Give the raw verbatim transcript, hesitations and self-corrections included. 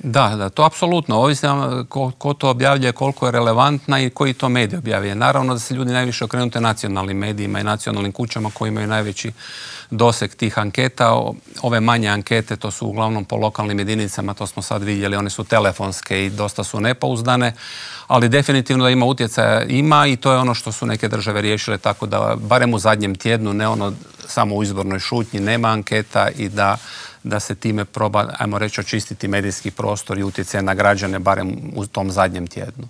Da, da, to apsolutno. Ovisno ko, ko to objavljuje, koliko je relevantna i koji to medij objavljuje. Naravno da se ljudi najviše okrenute nacionalnim medijima i nacionalnim kućama koji imaju najveći doseg tih anketa. Ove manje ankete, to su uglavnom po lokalnim jedinicama, to smo sad vidjeli, one su telefonske i dosta su nepouzdane, ali definitivno da ima utjecaja, ima, i to je ono što su neke države riješile, tako da barem u zadnjem tjednu, ne ono samo u izbornoj šutnji, nema anketa i da da se time proba, ajmo reći, očistiti medijski prostor i utjecaj na građane barem u tom zadnjem tjednu.